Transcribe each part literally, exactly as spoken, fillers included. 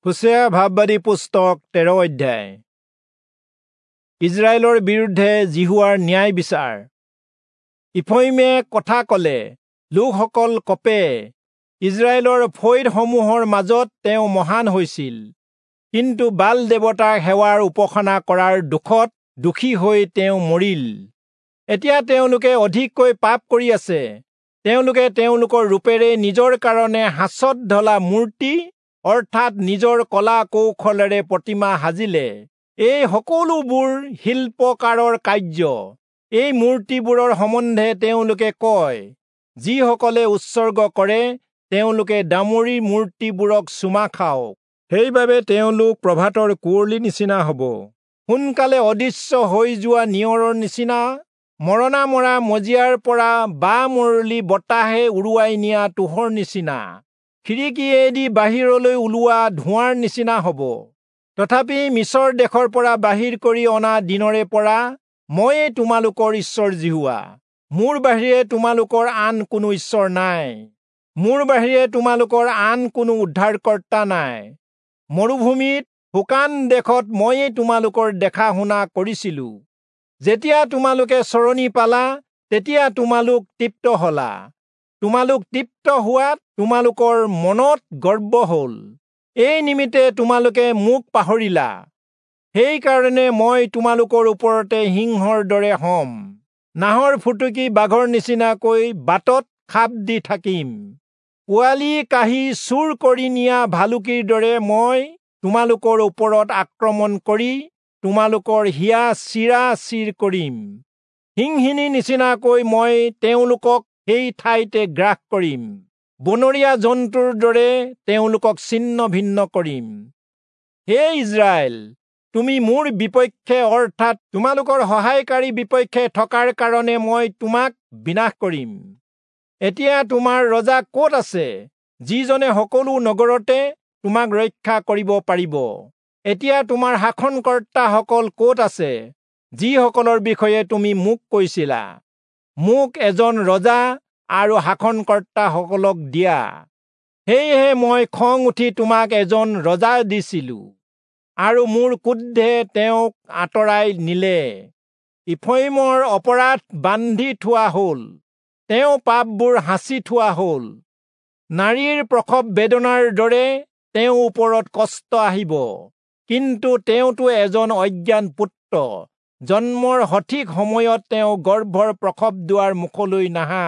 হোচেয়া ভাববাদী পুস্তক তেৰ অধ্যায়। ইজৰাইলৰ বিৰুদ্ধে যিহোৱাৰ ন্যায় বিচাৰ। ইফ্ৰয়িমে কথা কলে, লোকসকল কঁপে। ইজৰাইলৰ ফৈদসমূহৰ মাজত তেওঁ মহান হৈছিল, কিন্তু বাল দেৱতাক সেৱাৰ উপাসনা কৰাৰ দোষত দোষী হৈ তেওঁ মৰিল। এতিয়া তেওঁলোকে অধিককৈ পাপ কৰি আছে। তেওঁলোকে তেওঁলোকৰ ৰূপেৰে নিজৰ কাৰণে সাঁচত ঢলা মূৰ্তি, অৰ্থাৎ নিজৰ কলা কৌশলেৰে প্ৰতিমা সাজিলে। এই সকলোবোৰ শিল্পকাৰৰ কাৰ্য। এই মূৰ্তিবোৰৰ সম্বন্ধে তেওঁলোকে কয়, যিসকলে উৎসৰ্গ কৰে তেওঁলোকে দামুৰিৰ মূৰ্তিবোৰক চুমা খাওক। সেইবাবে তেওঁলোক প্ৰভাতৰ কুঁৱলীৰ নিচিনা হ'ব, সোনকালে অদৃশ্য হৈ যোৱা নিয়ৰৰ নিচিনা, মৰণা মৰা মজিয়াৰ পৰা বা মৰলি বতাহে উৰুৱাই নিয়া তুঁহৰ নিচিনা, খিৰিকীয়েদি বাহিৰলৈ ওলোৱা ধোঁৱাৰ নিচিনা হ'ব। তথাপি মিচৰ দেশৰ পৰা বাহিৰ কৰি অনা দিনৰে পৰা ময়েই তোমালোকৰ ঈশ্বৰ যিহোৱা। মোৰ বাহিৰে তোমালোকৰ আন কোনো ঈশ্বৰ নাই, মোৰ বাহিৰে তোমালোকৰ আন কোনো উদ্ধাৰকৰ্তা নাই। মৰুভূমিত শুকান দেশত ময়েই তোমালোকৰ দেখা শুনা কৰিছিলো। যেতিয়া তোমালোকে চৰণি পালা, তেতিয়া তোমালোক তৃপ্ত হলা। তোমালোক তৃপ্ত হোৱাত তোমালোকৰ মনত গৰ্ব হ'ল। এই নিমিত্তে তোমালোকে মোক পাহৰিলা। সেইকাৰণে মই তোমালোকৰ ওপৰতে সিংহৰ দৰে হ'ম, নাহৰ ফুটুকী বাঘৰ নিচিনাকৈ বাটত খাপ দি থাকিম। পোৱালি কাঢ়ি চুৰ কৰি নিয়া ভালুকীৰ দৰে মই তোমালোকৰ ওপৰত আক্ৰমণ কৰি তোমালোকৰ হিয়া চিৰা চিৰ কৰিম। সিংহিনীৰ নিচিনাকৈ মই তেওঁলোকক সেই ঠাইতে গ্ৰাস কৰিম, বনৰীয়া জন্তুৰ দৰে তেওঁলোকক ছিন্ন ভিন্ন কৰিম। হে ইজৰাইল, তুমি মোৰ বিপক্ষে, অৰ্থাৎ তোমালোকৰ সহায়কাৰী বিপক্ষে থকাৰ কাৰণে মই তোমাক বিনাশ কৰিম। এতিয়া তোমাৰ ৰজা ক'ত আছে, যিজনে সকলো নগৰতে তোমাক ৰক্ষা কৰিব পাৰিব? এতিয়া তোমাৰ শাসনকৰ্তাসকল ক'ত আছে, যিসকলৰ বিষয়ে তুমি মোক কৈছিলা, মোক এজন ৰজা আৰু শাসনকৰ্তাসকলক দিয়া? সেয়েহে মই খং উঠি তোমাক এজন ৰজা দিছিলো, আৰু মোৰ ক্ৰোধে তেওঁক আঁতৰাই নিলে। ইফ্ৰয়িমৰ অপৰাধ বান্ধি থোৱা হ'ল, তেওঁ পাপবোৰ সাঁচি থোৱা হ'ল। নাৰীৰ প্ৰসৱ বেদনাৰ দৰে তেওঁৰ ওপৰত কষ্ট আহিব, কিন্তু তেওঁতো এজন অজ্ঞান পুত্ৰ। জন্মৰ সঠিক সময়ত তেওঁ গৰ্ভৰ প্ৰসৱ দুৱাৰ মুখলৈ নাহা।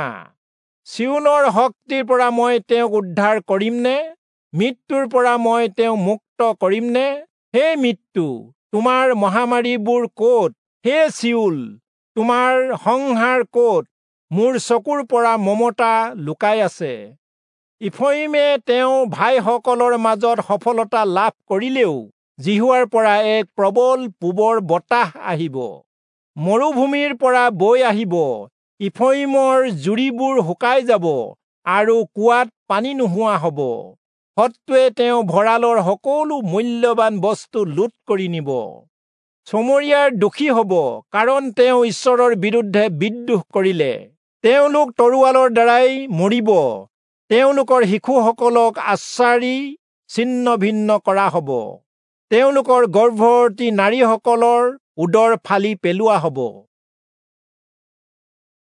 চিয়োলৰ শক্তিৰ পৰা মই তেওঁক উদ্ধাৰ কৰিমনে? মৃত্যুৰ পৰা মই তেওঁক মুক্ত কৰিমনে? হে মৃত্যু, তোমাৰ মহামাৰীবোৰ ক'ত? হে চিয়োল, তোমাৰ সংহাৰ ক'ত? মোৰ চকুৰ পৰা মমতা লুকাই আছে। ইফ্ৰয়িমে তেওঁ ভাইসকলৰ মাজত সফলতা লাভ কৰিলেও যিহোৱাৰ পৰা এক প্ৰবল পূবৰ বতাহ আহিব, মৰুভূমিৰ পৰা বৈ আহিব। ইফ্ৰয়িমৰ জুৰিবোৰ শুকাই যাব আৰু কুঁৱাত পানী নোহোৱা হ'ব। শত্ৰুৱে তেওঁ ভঁৰালৰ সকলো মূল্যৱান বস্তু লুট কৰি নিব। চমৰীয়াৰ দোষী হ'ব, কাৰণ তেওঁ ঈশ্বৰৰ বিৰুদ্ধে বিদ্ৰোহ কৰিলে। তেওঁলোক তৰোৱালৰ দ্বাৰাই মৰিব, তেওঁলোকৰ শিশুসকলক আচাৰি ছিন্ন ভিন্ন কৰা হ'ব, তেওঁলোকৰ গৰ্ভৱতী নাৰীসকলৰ উদৰ ফালি পেলোৱা হ'ব।